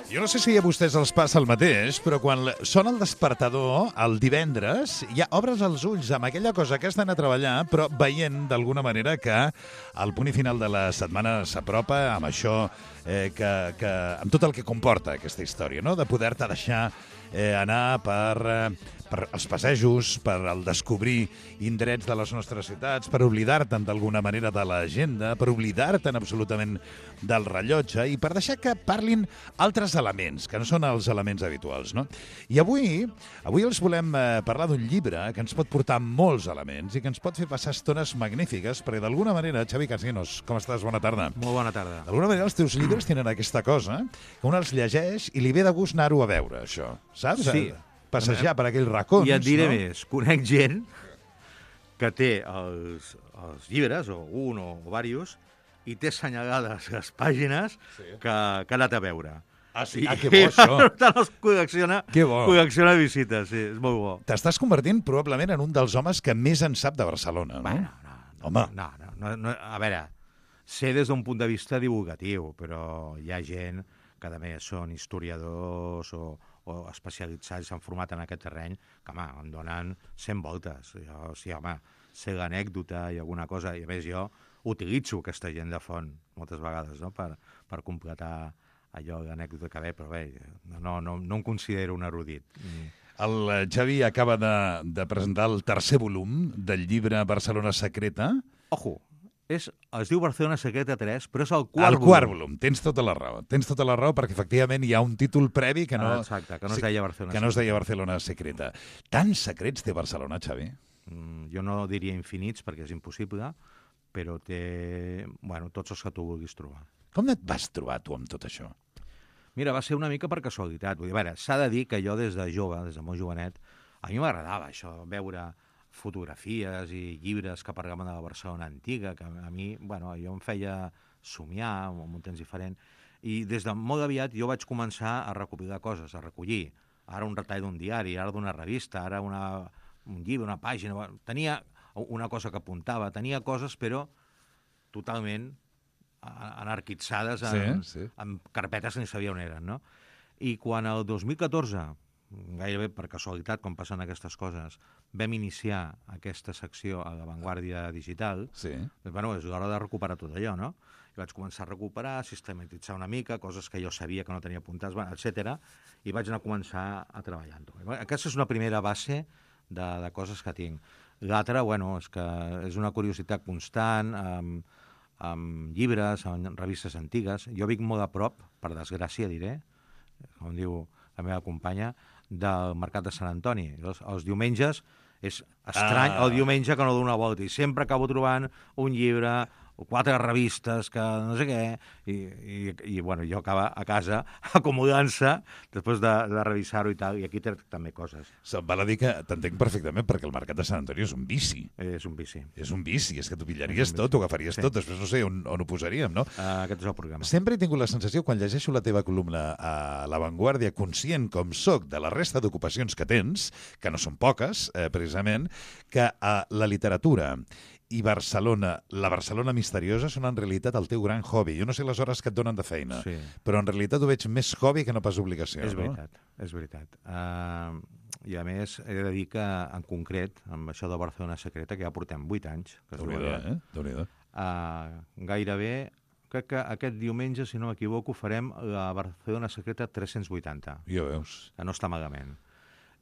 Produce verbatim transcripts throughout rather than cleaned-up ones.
Jo no sé si a vostès els passa el mateix, però quan sona el despertador el divendres, ja obres els ulls amb aquella cosa que has d'anar a treballar, però veient d'alguna manera que el punt i final de la setmana s'apropa amb això, eh, que, que, amb tot el que comporta aquesta història, no? De poder-te deixar eh, anar per, eh, per els passejos, per el descobrir indrets de les nostres ciutats, per oblidar-te'n d'alguna manera de l'agenda, per oblidar-te'n absolutament del rellotge i per deixar que parlin altres elements, que no són els elements habituals, no? I avui, avui els volem eh, parlar d'un llibre que ens pot portar molts elements i que ens pot fer passar estones magnífiques, perquè d'alguna manera, Xavi Casinos, com estàs? Bona tarda. Molt bona tarda. D'alguna manera els teus llibres tenen aquesta cosa, que un els llegeix i li ve de gust anar-ho a veure, això, saps? Sí. Passejar per aquells racons, I et diré no? més, conec gent que té els, els llibres, o un o, o diversos, i té assenyalades les pàgines sí. que, que ha anat a veure. Ah, sí? Ah, que bo, això. Tant els col·lecciona, que bo. col·lecciona visites, sí, és molt bo. T'estàs convertint probablement en un dels homes que més en sap de Barcelona, no? Bueno, no, no, Home. No, no, no, no, a veure, sé des d'un punt de vista divulgatiu, però hi ha gent que a més són historiadors o, o especialitzats, s'han format en aquest terreny, que, home, em donen cent voltes. Jo, sí, home, sé l'anècdota i alguna cosa, i a més jo utilitzo aquesta gent de font moltes vegades, no?, per, per completar allò, l'anècdota que ve, però bé, no, no, no em considero un erudit. El Xavi acaba de, de presentar el tercer volum del llibre Barcelona Secreta. Ojo, és, es diu Barcelona Secreta tres, però és el quart volum. El quart volum, tens tota la raó. Tens tota la raó perquè efectivament hi ha un títol previ que no, ah, exacte, que no es deia Barcelona que no es deia Barcelona Secreta. Tants secrets té Barcelona, Xavi? Mm, jo no diria infinits perquè és impossible, però té, bueno, tots els que tu vulguis trobar. Com et vas trobar tu amb tot això? Mira, va ser una mica per casualitat. Vull dir, a veure, s'ha de dir que jo des de jove, des de molt jovenet, a mi m'agradava això, veure fotografies i llibres que parlaven de la Barcelona antiga, que a mi, bueno, jo em feia somiar en un temps diferent, i des de molt aviat jo vaig començar a recopilar coses, a recollir. Ara un retall d'un diari, ara d'una revista, ara una, un llibre, una pàgina... Tenia una cosa que apuntava, tenia coses, però totalment anarquitzades en, sí, sí. en carpetes que ni sabia on eren, no? I quan el dos mil catorze, gairebé per casualitat, com passen aquestes coses, vam iniciar aquesta secció a l'avantguàrdia digital, sí. doncs, bueno, és l'hora de recuperar tot allò, no? I vaig començar a recuperar, a sistematitzar una mica, coses que jo sabia que no tenia apuntades, bueno, etcètera, i vaig anar a començar a treballar-ho. Aquesta és una primera base de, de coses que tinc. L'altra, bueno, és que és una curiositat constant, amb, amb llibres, amb revistes antigues. Jo vic molt a prop, per desgràcia diré, com diu la meva companya, del Mercat de Sant Antoni. Els, els diumenges és estrany ah. el diumenge que no dono una volta i sempre acabo trobant un llibre o quatre revistes que no sé què, i, i, i bueno, jo acaba a casa acomodant-se després de, de revisar-ho i tal, i aquí té també coses. Se'm val a dir que t'entenc perfectament, perquè el Mercat de Sant Antoni és un vici. És un vici. És un vici, és que t'ho pillaries tot, t'ho agafaries sí. tot, després no sé on, on ho posaríem, no? Uh, aquest és el programa. Sempre he tingut la sensació, quan llegeixo la teva columna a l'avantguàrdia, conscient com soc de la resta d'ocupacions que tens, que no són poques, eh, precisament, que uh, la literatura i Barcelona, la Barcelona misteriosa, són en realitat el teu gran hobby. Jo no sé les hores que et donen de feina, sí. però en realitat ho veig més hobby que no pas obligació. És no? veritat, és veritat. Uh, I a més, he de dir que, en concret, amb això de Barcelona Secreta, que ja portem vuit anys, que Déu-n'hi-do, eh? Déu-n'hi-do. Uh, gairebé, crec que aquest diumenge, si no m'equivoco, farem la Barcelona Secreta tres-cents vuitanta. Ja veus. Que no està malament.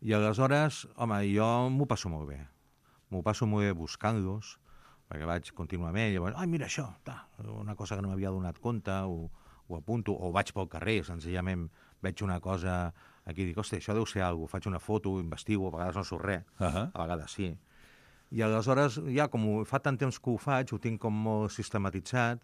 I aleshores, home, jo m'ho passo molt bé. M'ho passo molt bé buscant-los, perquè vaig contínuament, llavors, ai, mira això, ta, una cosa que no m'havia donat compte, ho, ho apunto, o vaig pel carrer, senzillament veig una cosa aquí i dic, hosti, això deu ser alguna cosa, faig una foto, investigo, a vegades no surt res, uh -huh. a vegades sí. I aleshores, ja com fa tant temps que ho faig, ho tinc com molt sistematitzat,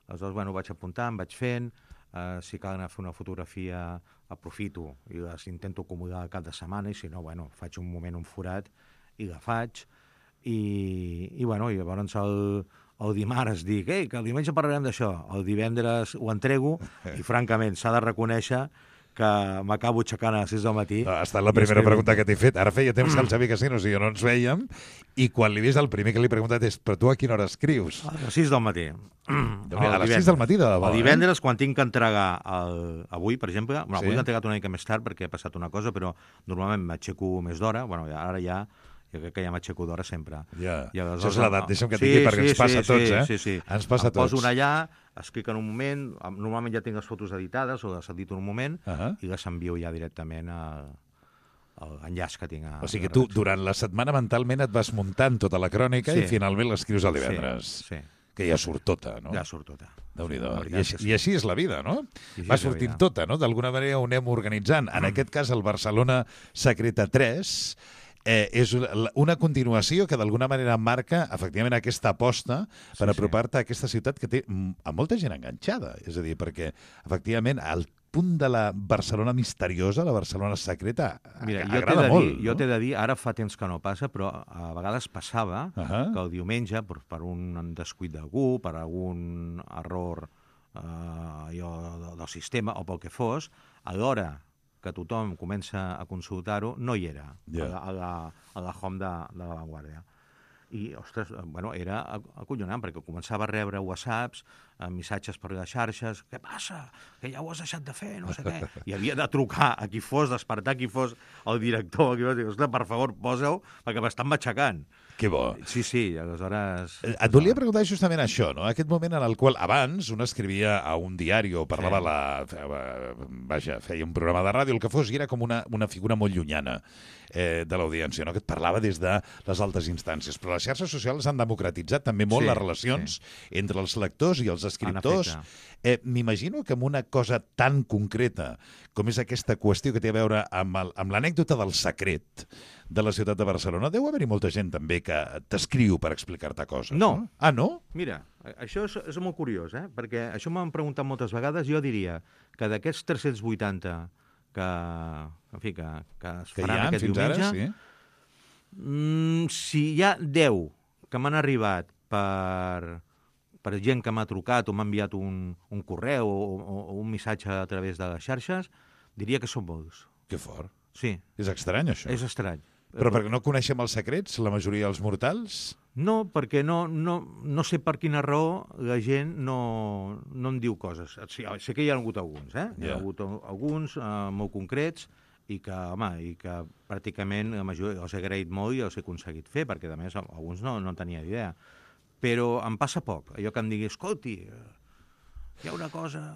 aleshores, bueno, ho vaig apuntant, vaig fent, eh, si cal anar a fer una fotografia, aprofito i les intento acomodar al cap de setmana, i si no, bueno, faig un moment, un forat, i la faig, i, i bueno, i llavors el, el dimarts dic, ei, que el diumenge parlarem d'això, el divendres ho entrego, i francament s'ha de reconèixer que que m'acabo aixecant a les sis del matí. No, ha estat la primera pregunta que t'he fet. Ara feia temps que el Xavi Casinos i jo no ens veiem, i quan l'he vist el primer que li he preguntat és però tu a quina hora escrius? A les sis del matí. A les sis del matí, de debò. El divendres, quan tinc que entregar el... avui, per exemple, bueno, avui Sí. l'he entregat una mica més tard perquè ha passat una cosa, però normalment m'aixeco més d'hora, bueno, ara ja jo crec que ja m'aixeco d'hora sempre. Ja. I aleshores- Això és l'edat, deixa'm que et Sí, digui, perquè sí, ens passa sí, a tots, sí, eh? Sí, sí. Ens passa a Em poso tots. una allà, escric en un moment, normalment ja tinc les fotos editades o les edito en un moment, Ahà. i les envio ja directament al, a l'enllaç que tinc a... O sigui que tu, durant la setmana, mentalment et vas muntant tota la crònica Sí. i finalment l'escrius el divendres. Sí, sí. Que ja surt tota, no? Ja surt tota. Déu-n'hi-do. La I, veritat així, que sí. I així és la vida, no? I així Va és la sortint vida. tota, no? D'alguna manera ho anem organitzant. En aquest cas, el Barcelona Secreta tres eh, és una una continuació que d'alguna manera marca, efectivament, aquesta aposta per Sí, sí. apropar-te a aquesta ciutat que té mm, a molta gent enganxada. És a dir, perquè, efectivament, el punt de la Barcelona misteriosa, la Barcelona secreta, Mira, jo t'he agrada de, molt. dir, jo t'he de dir, ara fa temps que no passa, però a vegades passava Ahà. que el diumenge, per, per un descuit d'algú, per algun error eh, allò, del sistema o pel que fos, a l'hora que tothom comença a consultar-ho, no hi era, Ja. a, la, a, la, a la home de, de la Vanguardia. I, ostres, bueno, era acollonant, perquè començava a rebre whatsapps, eh, missatges per les xarxes, què passa? Que ja ho has deixat de fer, no sé què. I havia de trucar a qui fos, despertar a qui fos el director, a qui fos, dir, ostres, per favor, posa-ho, perquè m'estan matxacant. Que bo. Sí, sí, aleshores... Eh, Et volia preguntar justament això, no? Aquest moment en el qual abans un escrivia a un diari o parlava Sí. la... fe- Vaja, feia un programa de ràdio, el que fos, i era com una, una figura molt llunyana eh, de l'audiència, no? Que et parlava des de les altes instàncies. Però les xarxes socials han democratitzat també molt Sí, les relacions entre els lectors i els escriptors. efecte. Eh, M'imagino que amb una cosa tan concreta com és aquesta qüestió que té a veure amb el- amb l'anècdota del secret de la ciutat de Barcelona, deu haver-hi molta gent també que t'escriu per explicar-te coses. No. Ah, no? Mira, això és, és molt curiós, eh? Perquè això m'han preguntat moltes vegades. Jo diria que d'aquests tres-cents vuitanta que, en fi, que, que es Que hi faran ha aquest fins diumenge, ara, sí. mm, si hi ha deu que m'han arribat per, per gent que m'ha trucat o m'ha enviat un, un correu o, o, o un missatge a través de les xarxes, diria que són molts. Que fort. Sí, És estrany, això. és estrany. Però perquè no coneixem els secrets, la majoria dels mortals? No, perquè no, no, no sé per quina raó la gent no, no em diu coses. Sí, sé que hi ha hagut alguns, eh? Hi Ja. ha hagut alguns eh, molt concrets i que, home, i que pràcticament la majoria els he agraït molt i els he aconseguit fer, perquè, a més, alguns no, no en tenia idea. Però em passa poc. Allò que em digui, escolti, hi ha una cosa...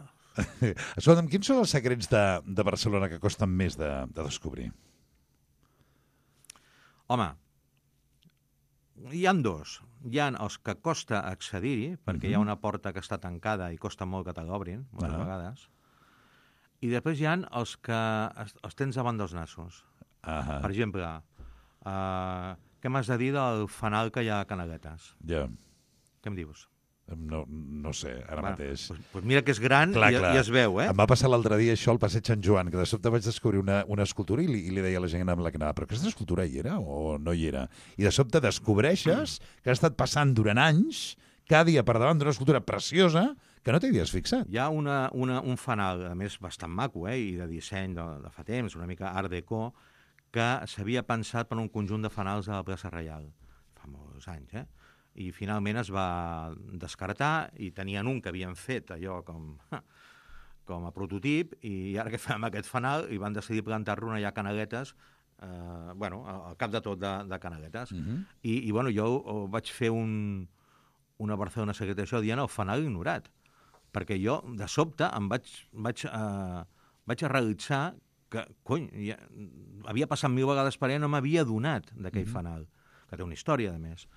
Escolta'm, quins són els secrets de, de Barcelona que costen més de, de descobrir? Home, hi han dos. Hi ha els que costa accedir-hi, perquè hi ha una porta que està tancada i costa molt que te l'obrin, moltes Ah. vegades. I després hi ha els que es- els tens davant dels nassos. Ah, Per exemple, uh, què m'has de dir del fanal que hi ha a Canaletes? ja. Què em dius? No, no sé, ara mateix. Pues, pues mira que és gran Clar, i, clar. i es veu, eh? Em va passar l'altre dia això al passeig Sant Joan, que de sobte vaig descobrir una, una escultura i li, i li deia a la gent amb la que anava, però aquesta escultura hi era o no hi era? I de sobte descobreixes que ha estat passant durant anys, cada dia per davant d'una escultura preciosa que no t'havies fixat. Hi ha una, una, un fanal, a més, bastant maco, eh? I de disseny de, de fa temps, una mica art déco, que s'havia pensat per un conjunt de fanals a la plaça Reial. Fa molts anys, eh? I finalment es va descartar i tenien un que havien fet allò com, com a prototip i ara que fem aquest fanal i van decidir plantar-lo allà a Canaletes, eh, bueno, al cap de tot de, de Canaletes. Uh -huh. I, I, bueno, jo oh, vaig fer un, una Barcelona secreta això dient el fanal ignorat, perquè jo, de sobte, em vaig, vaig, eh, vaig a realitzar que, cony, ja, havia passat mil vegades per allà i no m'havia adonat d'aquell uh -huh. fanal, que té una història, a més.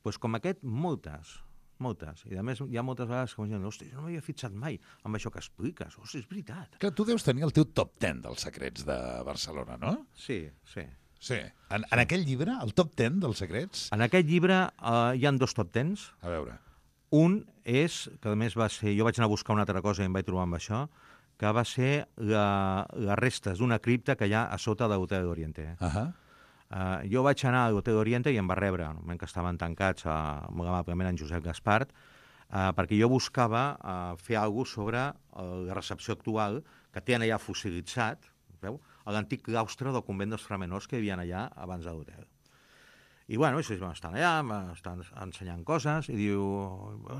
Pues com aquest, moltes, moltes. I a més hi ha moltes vegades que em diuen, hosti, jo no m'havia fixat mai amb això que expliques. Hosti, és veritat. Clar, tu deus tenir el teu top ten dels secrets de Barcelona, no? Sí, sí. Sí. En, en aquell llibre, el top ten dels secrets, En aquest llibre eh, hi han dos top tens. a veure... Un és, que a més va ser... Jo vaig anar a buscar una altra cosa i em vaig trobar amb això, que va ser la, les restes d'una cripta que hi ha a sota de l'Hotel d'Oriente. Uh -huh. Uh, jo vaig anar a l'Hotel d'Oriente i em va rebre, en el moment que estaven tancats, uh, molt amablement en Josep Gaspart, uh, perquè jo buscava uh, fer alguna cosa sobre uh, la recepció actual, que tenen allà fossilitzat, veu? A l'antic claustre del convent dels framenors que hi havia allà abans de l'hotel. I, bueno, això, estan allà, m'estan ensenyant coses, i diu,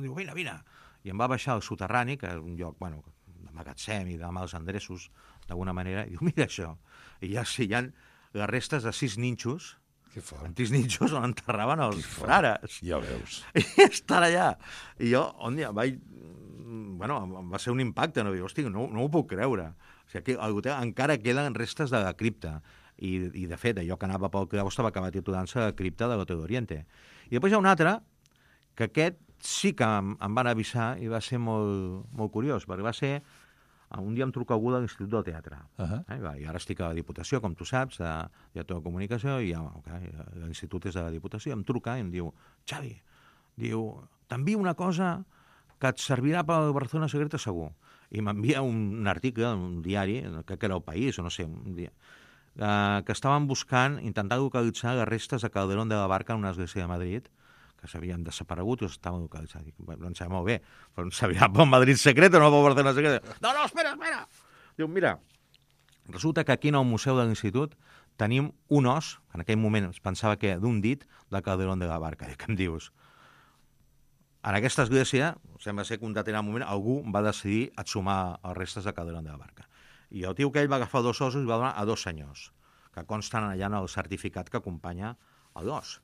diu, vine, vine. I em va baixar al soterrani, que és un lloc, bueno, de magatzem i de mals endreços, d'alguna manera, i diu, mira això. I ja sí, hi ha les restes de sis ninxos, antics ninxos on enterraven els frares. Ja veus. I estan allà. I jo, on dia, vaig... Bueno, va ser un impacte, no? Hosti, no, no ho puc creure. O sigui, que l'hotel encara queden restes de la cripta. I, i de fet, allò que anava pel claustre va acabar titulant-se la cripta de l'Hotel Oriente. I després hi ha un altre, que aquest sí que em, em van avisar i va ser molt, molt curiós, perquè va ser... Un dia em truca algú de l'Institut del Teatre. Uh -huh. eh? I ara estic a la Diputació, com tu saps, de director de comunicació, i ja, okay, l'Institut és de la Diputació, em truca i em diu, Xavi, diu, t'envio una cosa que et servirà per Barcelona Secreta segur. I m'envia un, un article, un diari, crec que era El País, o no sé, un dia, eh, que estaven buscant, intentant localitzar les restes de Calderón de la Barca en una església de Madrid, que s'havien desaparegut i estaven localitzats. Dic, no em sembla molt bé, però em sabia pel Madrid secret o no pel Barcelona secret. No, no, espera, espera! Diu, mira, resulta que aquí en el Museu de l'Institut tenim un os, en aquell moment es pensava que d'un dit, de Calderón de la Barca. Dic, què em dius? En aquesta església, sembla ser que un determinat moment, algú va decidir exhumar els restes de Calderón de la Barca. I el tio que ell va agafar dos ossos i va donar a dos senyors, que consten allà en el certificat que acompanya l'os.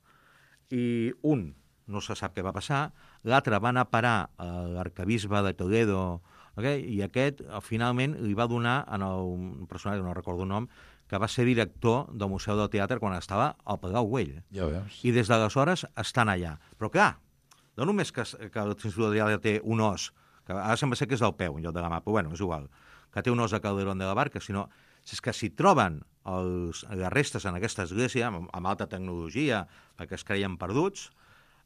I un no se sap què va passar, l'altre va anar a parar a l'arcabisbe de Toledo, okay? I aquest finalment li va donar a un personatge, no recordo el nom, que va ser director del Museu del Teatre quan estava al Palau Güell. Ja veus. I des d'aleshores estan allà. Però clar, no només que, que l'Institut del Teatre té un os, que ara sembla ser que és del peu, en lloc de la mà, però bueno, és igual, que té un os de Calderón de la Barca, sinó és que si troben els, les restes en aquesta església, amb, amb alta tecnologia, perquè es creien perduts,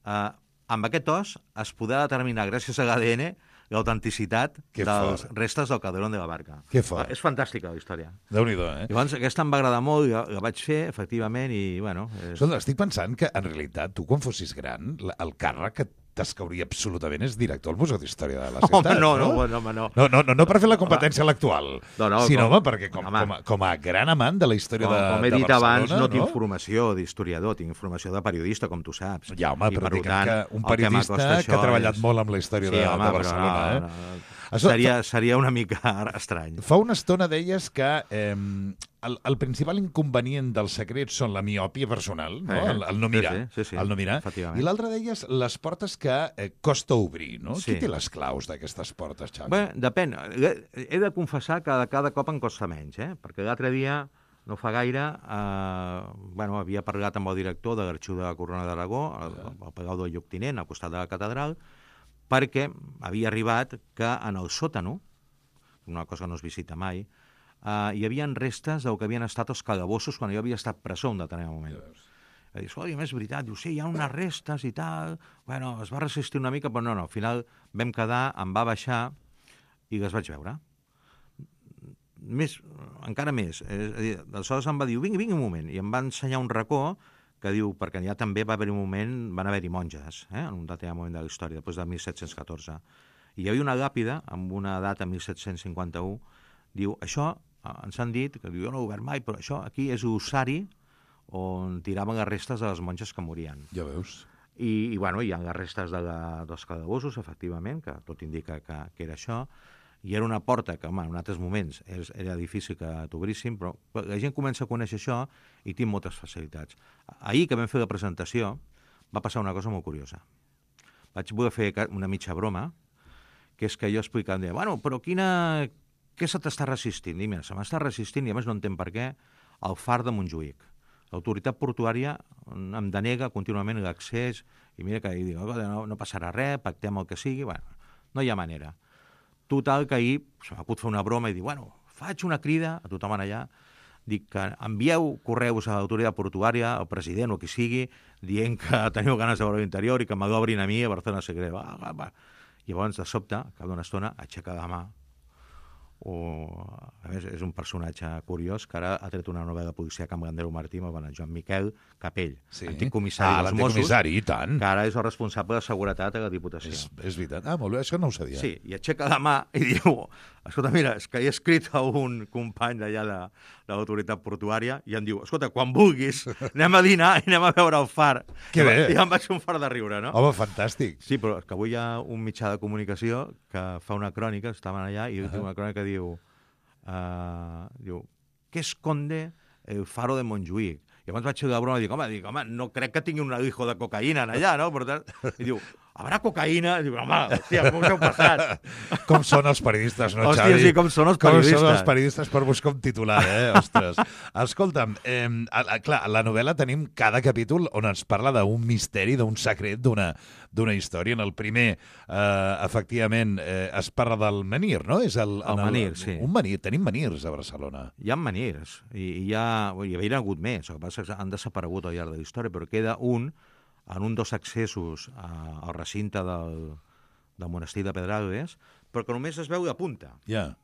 eh, amb aquest os es podrà determinar, gràcies a l'A D N, l'autenticitat de les restes del Calderón de la Barca. Que fort. És fantàstica la història. Déu-n'hi-do, eh? Llavors, aquesta em va agradar molt, la, la vaig fer, efectivament, i, bueno... És... Escolta, estic pensant que, en realitat, tu, quan fossis gran, el càrrec que t'escauria absolutament és director al Museu d'Història de la Ciutat, home, no? No, no, no, home, no. No, no, no, no per fer la competència home. a l'actual, no, no, sinó, com, home, perquè com, com, a, com a gran amant de la història com, de, com he de dit Barcelona... abans, no, no tinc no? formació d'historiador, tinc formació de periodista, com tu saps. Ja, home, I, però dic tant, que un periodista que, que ha treballat és... molt amb la història sí, de, home, de Barcelona, no, eh? No, no. Seria, seria una mica estrany. Fa una estona deies que eh, el, el principal inconvenient dels secrets són la miòpia personal, no? Eh, el, el no mirar. Sí, sí, sí, el no mirar. I l'altre deies les portes que eh, costa obrir, no? Sí. Qui té les claus d'aquestes portes, Xavi? Bé, depèn. He de confessar que cada cop em costa menys, eh? Perquè l'altre dia, no fa gaire, eh, bueno, havia parlat amb el director de l'Arxiu de la Corona d'Aragó, al, al Palau del Lloctinent, al costat de la catedral, perquè havia arribat que en el sòtano, una cosa que no es visita mai, eh, hi havia restes del que havien estat els calabossos quan jo havia estat presó un determinat moment. I dius, oi, és veritat, diu, sí, hi ha unes restes i tal... Bueno, es va resistir una mica, però no, no, al final vam quedar, em va baixar i les vaig veure. Més, encara més. És a dir, aleshores em va dir, vingui, vingui un moment, i em va ensenyar un racó que diu, perquè ja també va haver un moment, van haver-hi monges, eh, en un determinat moment de la història, després de mil set-cents catorze. I hi havia una làpida, amb una data mil set-cents cinquanta-u, diu, això, ens han dit, que jo no ho he obert mai, però això aquí és l'ossari on tiraven les restes de les monges que morien. Ja veus. I, i bueno, hi ha les restes de la, dels calabossos, efectivament, que tot indica que, que era això, i era una porta que, home, en altres moments és, era difícil que t'obríssim, però la gent comença a conèixer això i tinc moltes facilitats. Ahir que vam fer la presentació va passar una cosa molt curiosa. Vaig voler fer una mitja broma, que és que jo explicava, deia, bueno, però quina... què se t'està resistint? I mira, se m'està resistint, i a més no entenc per què, el far de Montjuïc. L'autoritat portuària em denega contínuament l'accés, i mira que dic, no, no passarà res, pactem el que sigui, bueno, no hi ha manera. Total, que ahir se m'ha pogut fer una broma i dir, bueno, faig una crida a tothom allà, dic que envieu correus a l'autoritat portuària, al president o qui sigui, dient que teniu ganes de veure l'interior i que m'obrin a mi a Barcelona Secret. Va, va, va. I llavors, de sobte, al cap d'una estona, aixeca la mà o, a més, és un personatge curiós que ara ha tret una novel·la policial amb Gandero Martí, amb el Joan Miquel Capell, Sí. antic comissari Ah, dels l'antic Mossos, comissari, i tant. que ara és el responsable de seguretat a la Diputació. És, és veritat. Ah, molt bé, això no ho sabia. Sí, i aixeca la mà i diu, escolta, mira, és que he escrit a un company d'allà de, de l'autoritat portuària i em diu, escolta, quan vulguis, anem a dinar i anem a veure el far. Que bé. I em vaig fer un far de riure, no? Home, fantàstic. Sí, però és que avui hi ha un mitjà de comunicació que fa una crònica, estaven allà, i uh -huh. una crònica que diu, uh, diu, què esconde el faro de Montjuïc? I abans vaig fer la broma i dic, home, dic, home, no crec que tingui un alijo de cocaïna allà, no? Per tant, i diu, habrà cocaïna? I diu, home, hòstia, com us heu passat? Com són els periodistes, no, Hòstia, Xavi? sí, com són els Com periodistes. són els periodistes per buscar un titular, eh? Ostres. Escolta'm, eh, a, a, clar, a la novel·la tenim cada capítol on ens parla d'un misteri, d'un secret, d'una d'una història. En el primer, eh, efectivament, eh, es parla del menhir, no? És el, El en menhir, sí. Un menhir. Tenim menirs a Barcelona. Hi ha manirs, i, i hi ha... Hi havia hagut més, el que passa és que han desaparegut al llarg de la història, però queda un en un dels accessos a, al recinte del, del monestir de Pedralbes, però que només es veu la punta. Ja. Yeah.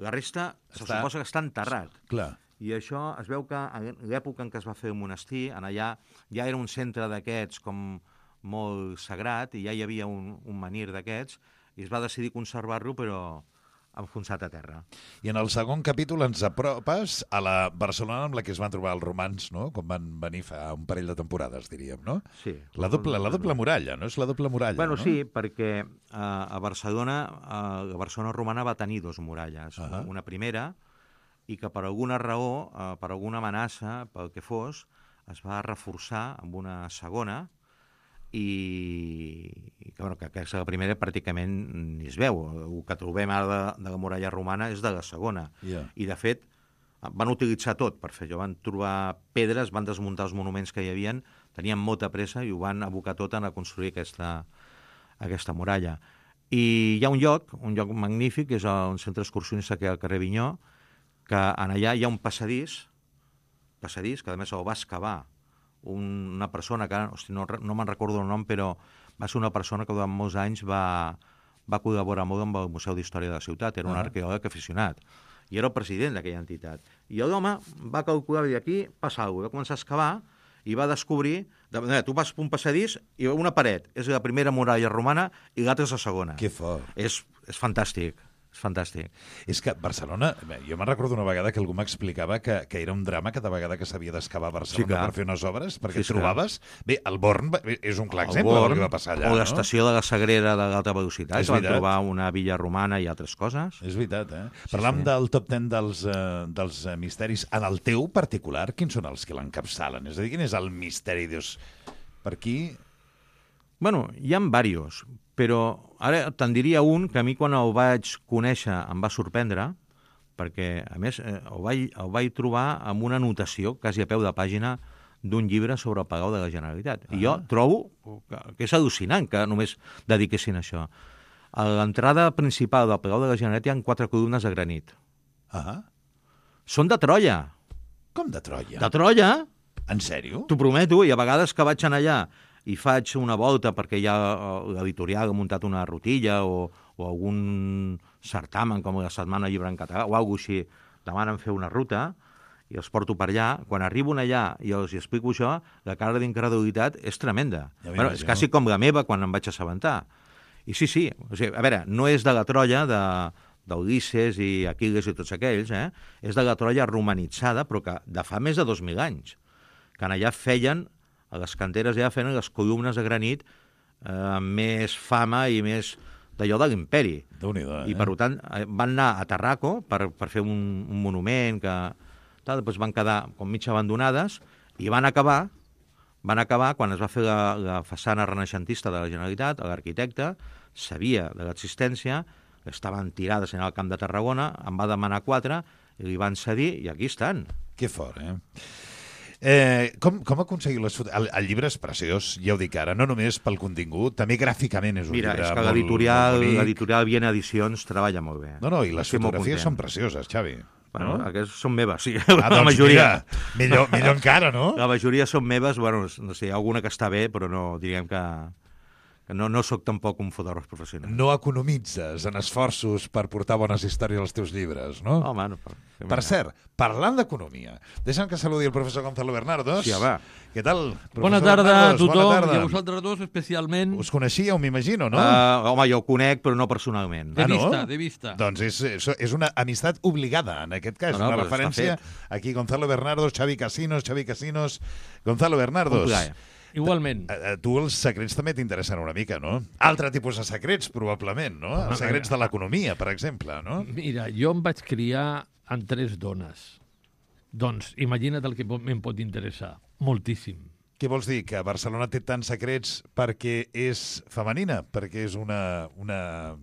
La resta se Està- suposa que està enterrat. Clar. I això es veu que en l'època en què es va fer el monestir, en allà ja era un centre d'aquests com molt sagrat, i ja hi havia un, un menhir d'aquests, i es va decidir conservar-lo, però enfonsat a terra. I en el segon capítol ens apropes a la Barcelona amb la que es van trobar els romans, no? Com van venir fa un parell de temporades, diríem, no? Sí. La doble, la doble muralla, no? És la doble muralla, Bueno, no? sí, perquè uh, a Barcelona, uh, la Barcelona romana va tenir dos muralles. Uh Ah. -huh. Una primera, i que per alguna raó, uh, per alguna amenaça, pel que fos, es va reforçar amb una segona, i, i que, bueno, que aquesta primera pràcticament ni es veu. El que trobem ara de, de la muralla romana és de la segona. Yeah. I, de fet, van utilitzar tot per fer-ho. Van trobar pedres, van desmuntar els monuments que hi havien, tenien molta pressa i ho van abocar tot a construir aquesta, aquesta muralla. I hi ha un lloc, un lloc magnífic, que és un centre excursionista que hi ha al carrer Vinyó, que en allà hi ha un passadís, passadís que a més el va excavar una persona que, hosti, no, no me'n recordo el nom, però va ser una persona que durant molts anys va, va col·laborar molt amb el Museu d'Història de la Ciutat, era un Ah. arqueòleg aficionat, i era el president d'aquella entitat. I l'home va calcular, i aquí passa alguna cosa, va començar a excavar i va descobrir, de manera, tu vas per un passadís i una paret, és la primera muralla romana i l'altra és la segona. Que fort. És, és fantàstic, és fantàstic. És que Barcelona, bé, jo me'n recordo una vegada que algú m'explicava que, que era un drama cada vegada que s'havia d'excavar a Barcelona Sí, clar. per fer unes obres, perquè Sí, et trobaves... Bé, el Born va- és un clar El exemple del Born, que va passar allà, o no? l'estació de la Sagrera de l'alta velocitat, És que van veritat. trobar una villa romana i altres coses. És veritat, eh? Sí, Parlam sí. del top ten dels, eh, dels eh, misteris. En el teu particular, quins són els que l'encapçalen? És a dir, quin és el misteri? Dius, per aquí... Bueno, hi ha diversos, però ara te'n diria un que a mi quan el vaig conèixer em va sorprendre, perquè, a més, eh, el, vaig, el vaig trobar amb una anotació, quasi a peu de pàgina, d'un llibre sobre el Palau de la Generalitat. I jo trobo que, que és al·lucinant que només dediquessin a això. A l'entrada principal del Palau de la Generalitat hi ha quatre columnes de granit. Ah, Són de Troia. com de Troia? De Troia? En sèrio? T'ho prometo, i a vegades que vaig anar allà i faig una volta perquè ja l'editorial ha muntat una rutilla o, o algun certamen com la Setmana Llibre en Català o alguna cosa així, demanen fer una ruta i els porto per allà. Quan arribo allà i els explico això, la cara d'incredulitat és tremenda. Ja bueno, és quasi com la meva quan em vaig assabentar. I sí, sí, o sigui, a veure, no és de la Troia de d'Ulisses i Aquil·les i tots aquells, eh? És de la Troia romanitzada, però que de fa més de dos mil anys, que en allà feien, a les canteres ja feien les columnes de granit eh, amb més fama i més d'allò de l'imperi. Déu-n'hi-do, eh? I per tant eh, van anar a Tarraco per, per fer un, un monument que tal, després van quedar com mig abandonades i van acabar van acabar quan es va fer la, la façana renaixentista de la Generalitat, l'arquitecte sabia de l'existència, estaven tirades en el Camp de Tarragona, en va demanar quatre, i li van cedir, i aquí estan. Que fort, eh? Eh, com, com aconseguir les fotos? El, el llibre és preciós, ja ho dic ara, no només pel contingut, també gràficament és un Mira, llibre és que molt, l'editorial molt bonic. l'editorial Viena Edicions treballa molt bé. No, no, i les Estic molt fotografies content. són precioses, Xavi. Bueno, no? aquestes són meves, sí. Ah, la doncs majoria. mira, millor, millor encara, no? La majoria són meves, bueno, no sé, alguna que està bé, però no, diríem que, No, no sóc tampoc un fotògraf professional. No economitzes en esforços per portar bones històries als teus llibres, no? Home, no. Per, per cert, parlant d'economia, deixa'm que saludi el professor Gonzalo Bernardos. Sí, va. Què tal, professor Bona tarda Bernardos? a tothom, Bona tarda. i a vosaltres dos especialment. Us coneixíeu, m'imagino, no? Uh, home, jo ho conec, però no personalment. De Ah, no? vista, de vista. Doncs és, és, és una amistat obligada, en aquest cas. No, no, una però referència està aquí, Gonzalo Bernardos, Xavi Casinos, Xavi Casinos, Gonzalo Bernardos. Un plaer. Igualment. A, a tu els secrets també t'interessen una mica, no? Altre tipus de secrets, probablement, no? Els secrets de l'economia, per exemple, no? Mira, jo em vaig criar amb tres dones. Doncs imagina't el que pot- me'n pot interessar. Moltíssim. Què vols dir? Que Barcelona té tants secrets perquè és femenina? Perquè és una... una...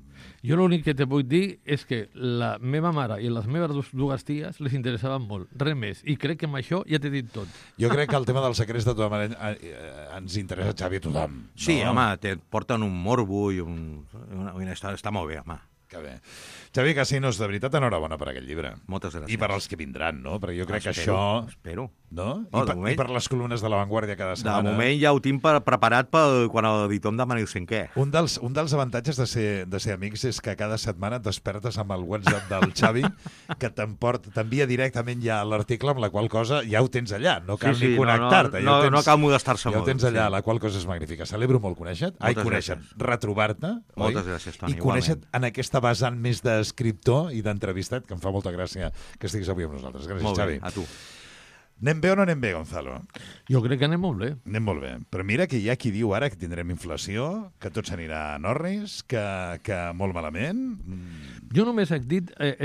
Jo l'únic que te puc dir és que la meva mare i les meves dos- dues ties les interessaven molt, res més. I crec que amb això ja t'he dit tot. Jo crec que el tema dels secrets de tota manera eh, eh, ens interessa, Xavi, a tothom. Sí, no? home, te porten un morbo i un, una, una història. Està molt bé, home. Que bé. Xavi Casinos, de veritat, enhorabona per aquest llibre. Moltes gràcies. I per als que vindran, no? Perquè jo crec que Espero, això... Espero. No? Oh, I, de per, moment- I per les columnes de La Vanguardia cada De setmana. moment ja ho tinc per, preparat per quan l'editor em demani el cinquè. Un dels, un dels avantatges de ser, de ser amics és que cada setmana et despertes amb el WhatsApp del Xavi, que t'emport- t'envia directament ja l'article, amb la qual cosa ja ho tens allà. No cal Sí, sí, ni no, connectar-te. no, ja ho no, tens, no cal molestar-se ja ho molt, tens allà, sí. la qual cosa és magnífica. Celebro molt conèixer-te. Ai, Moltes conèixer gràcies. retrobar-te. Moltes oi? gràcies, Toni, I conèixer igualment. en aquesta vessant més d'escriptor i d'entrevistat, que em fa molta gràcia que estiguis avui amb nosaltres. Gràcies, Molt Xavi. bé, a tu. Anem bé o no anem bé, Gonzalo? Jo crec que anem molt bé. Anem molt bé. Però mira que hi ha qui diu ara que tindrem inflació, que tot s'anirà a Norris, que, que molt malament. Mm. Jo només he dit, eh,